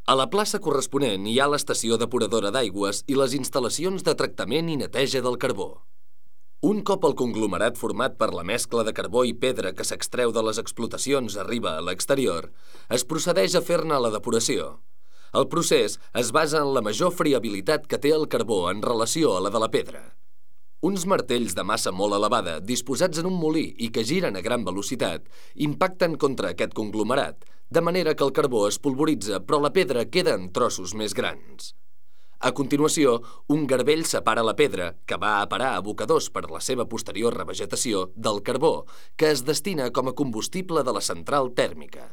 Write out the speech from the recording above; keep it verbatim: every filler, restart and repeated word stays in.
A la plaça corresponent hi ha l'estació depuradora d'aigües i les instal·lacions de tractament i neteja del carbó. Un cop el conglomerat format per la mescla de carbó i pedra que s'extreu de les explotacions arriba a l'exterior, es procedeix a fer-ne la depuració. El procés es basa en la major friabilitat que té el carbó en relació a la de la pedra. Uns martells de massa molt elevada, disposats en un molí i que giren a gran velocitat, impacten contra aquest conglomerat, de manera que el carbó es polvoritza però la pedra queda en trossos més grans. A continuació, un garbell separa la pedra, que va a parar a abocadors per la seva posterior revegetació, del carbó, que es destina com a combustible de la central tèrmica.